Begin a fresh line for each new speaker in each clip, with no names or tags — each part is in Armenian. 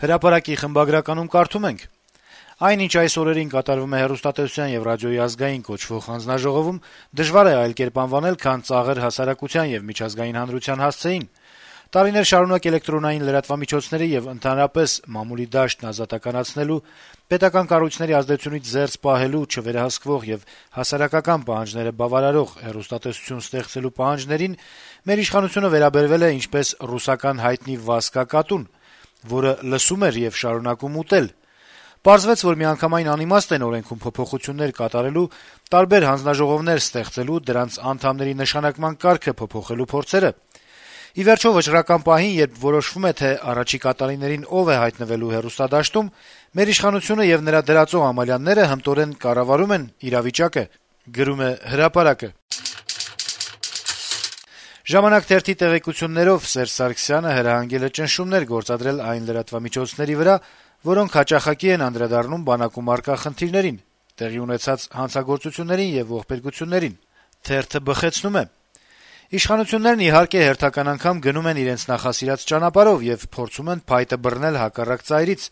Հրապարակի խմբագրականում կարդում ենք. Այն, ինչ այս օրերին կատարվում է հեռուստատեսության եւ ռադիոյի ազգային կոչվող հանձնաժողովում, դժվար է այլ կերպ անվանել, քան ծաղր հասարակության եւ միջազգային հանրության հասցեին։ Տարիներ շարունակ էլեկտրոնային լրատվամիջոցների եւ ընդհանրապես մամուլի դաշտն ազատականացնելու, պետական կառույցների ազդեցությունից զերծ պահելու, չվերահսկվող եւ հասարակական պահանջները բավարարող հեռուստատեսություն ստեղծելու պահանջներին մեր իշխանությունը վերաբերվել է ինչպես ռուսական հայտնի Վասկա կատուն, որը լսում էր եւ շարունակում ուտել։ Պարզվեց, որ միանգամայն անիմաստ են օրենքում փոփոխություններ կատարելու, տարբեր հանձնաժողովներ ստեղծելու, դրանց անդամների նշանակման կարգը փոփոխելու փորձերը։ Ի վերջո վճռական պահին, երբ որոշվում է, թե առաջիկա տարիներին ով է հայտնվելու հեռուստադաշտում, մեր իշխանությունը եւ նրա դրածող ամալյանները հմտորեն կառավարում են իրավիճակը, գրում է Հրապարակը։ Ժամանակ թերթի տեղեկություններով Սերժ Սարգսյանը հրահանգել է ճնշումներ գործադրել այն լրատվամիջոցների վրա, որոնք հաճախակի են անդրադառնում բանակում առկա խնդիրներին, տեղի ունեցած հանցագործություններին եւ ողբերգություններին։ Թերթը բխեցնում է. Իշխանություններն իհարկե հերթական անգամ գնում են իրենց նախասիրած ճանապարհով եւ փորձում են փայտը բռնել հակառակ ծայրից,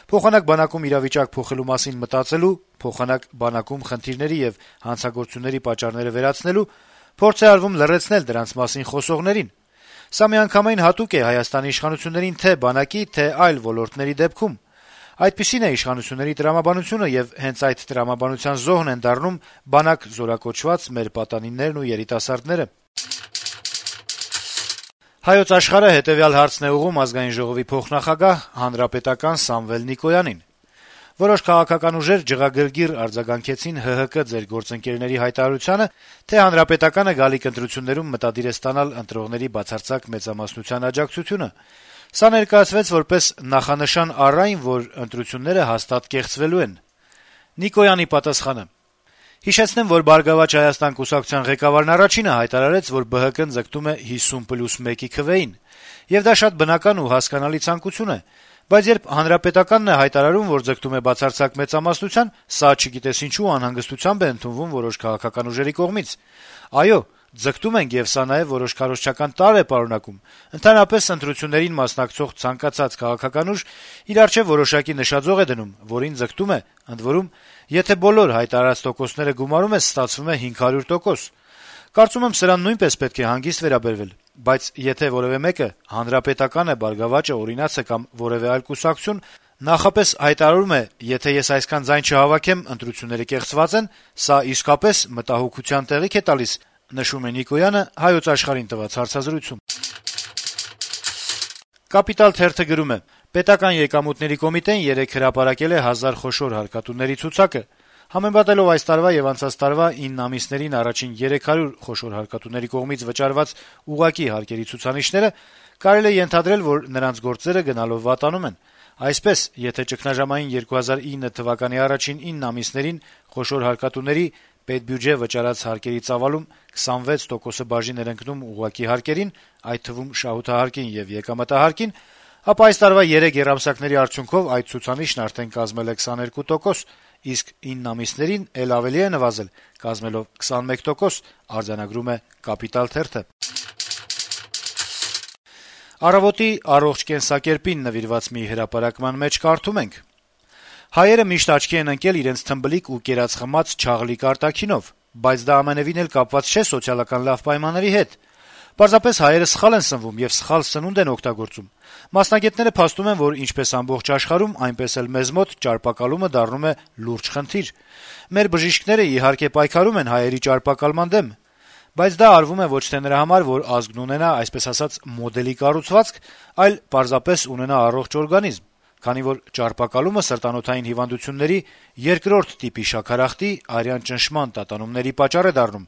փոխանակ բանակում իրավիճակ փոխելու մասին մտածելու, փոխանակ բանակում խնդիրների եւ հանցագործությունների պատճառները վերացնելու, փորձ է արվում լռեցնել դրանց մասին խոսողներին։ Սա միանգամայն հատուկ է Հայաստանի իշխանություններին թե բանակի, թե այլ ոլորտների դեպքում։ Այդպիսին է իշխանությունների տրամաբանությունը եւ հենց այդ տրամաբանության զոհն են դառնում բանակ զորակոչված մեր պատանիներն ու երիտասարդները։ Հայոց Աշխարհը հետեւյալ հարցն է ուղղում ազգային ժողովի փոխնախագահ հանրապետական Սամվել Նիկոյանին. Որոշ քաղաքական ուժեր ջղագրգիռ արձագանքեցին ՀՀԿ ձեր գործընկերների հայտարարությանը, թե հանրապետականը գալիք ընտրություններում մտադիր է ստանալ ընտրողների բացարձակ մեծամասնության աջակցությունը։ Սա ներկայացվեց որպես նախանշան առ այն, որ ընտրությունները հաստատ կեղծվելու են։ Նիկոյանի պատասխանը. Հիշեցնեմ, որ Բարգավաճ Հայաստան կուսակցության ղեկավարն առաջինը հայտարարեց, որ ԲՀԿ-ն ձգտում է 50+1-ի քվեին, եւ դա շատ բնական ու հասկանալի ցանկություն է, բայց երբ հանրապետականն է հայտարարում, որ ձգտում է բացարձակ մեծամասնության, սա չգիտես ինչու անհանգստությամբ է ընդունվում որոշ քաղաքական ուժերի կողմից։ Այո, ձգտում ենք եւ սա նաեւ որոշ քարոզչական տարր է պարունակում։ Ընդհանրապես ընտրություններին մասնակցող ցանկացած քաղաքական ուժ իր առջեւ որոշակի նշաձող է դնում, որին ձգտում է, ընդ որում, եթե բոլոր հայտարարած տոկոսները գումարում ես, ստացվում է 500%։ Կարծում եմ սրան նույնպես պետք է հանգիստ վերաբերվել, բայց եթե որևէ մեկը հանրապետական է, Բարգավաճը, օրինացը կամ որևէ այլ կուսակցություն նախապես հայտարարում է, եթե ես այսքան ձայն չհավաքեմ, ընտրությունները կեղծված են, սա իսկապես մտահոգության տեղիք է տալիս, նշում է Նիկոյանը Հայոց Աշխարհին տված հարցազրույցում։ Կապիտալ թերթը գրում է. Պետական եկամուտների կոմիտեն երեկ հրապարակել է 1000 խոշոր հարկատուների ցուցակը։ Համեմատելով այս տարվա եւ անցած տարվա 9 ամիսներին առաջին 300 խոշոր հարկատուների կողմից վճարված ուղղակի հարկերի ցուցանիշները, կարելի է ենթադրել, որ նրանց գործերը գնալով վատանում են։ Այսպես, եթե ճգնաժամային 2009 թվականի առաջին 9 ամիսներին խոշոր հարկատուների պետբյուջե վճարած հարկերի ծավալում 26% բաժին էր ընկնում ուղղակի հարկերին, այդ թվում շահութահարկին եւ եկամտահարկին, ապա այս տարվա 3 եռամսյակների արդյունքով այդ ցուցանիշն արդեն կազմել է 22%, իսկ 9 ամիսներին էլ ավելի է նվազել, կազմելով 21%, արձանագրում է Կապիտալ թերթը։ Առավոտի առողջ կենսակերպին նվիրված մի հրապարակման մեջ կարդում ենք. Հայերը միշտ աչքի են ընկել իրենց թմբլիկ ու կերած խմած չաղլիկ արտաքինով, բայց դա ամենևին էլ կապված չէ սոցիալական լավ պայմանների հետ։ Պարզապես հայերը սխալ են սնվում եւ սխալ սնունդ են օգտագործում։ Մասնագետները փաստում են, որ ինչպես ամբողջ աշխարհում, այնպես էլ մեզ մոտ ճարպակալումը դառնում է լուրջ խնդիր։ Մեր բժիշկները իհարկե պայքարում են հայերի ճարպակալման դեմ, բայց դա արվում է ոչ թե նրա համար, որ ազգն ունենա, այսպես ասած, մոդելի կառուցվածք, այլ պարզապես ունենա առողջ օրգանիզմ, քանի որ ճարպակալումը սրտանոթային հիվանդությունների երկրորդ տիպի շաքարախտի, արյան ճնշման տատանումների պատճառ է դառնում,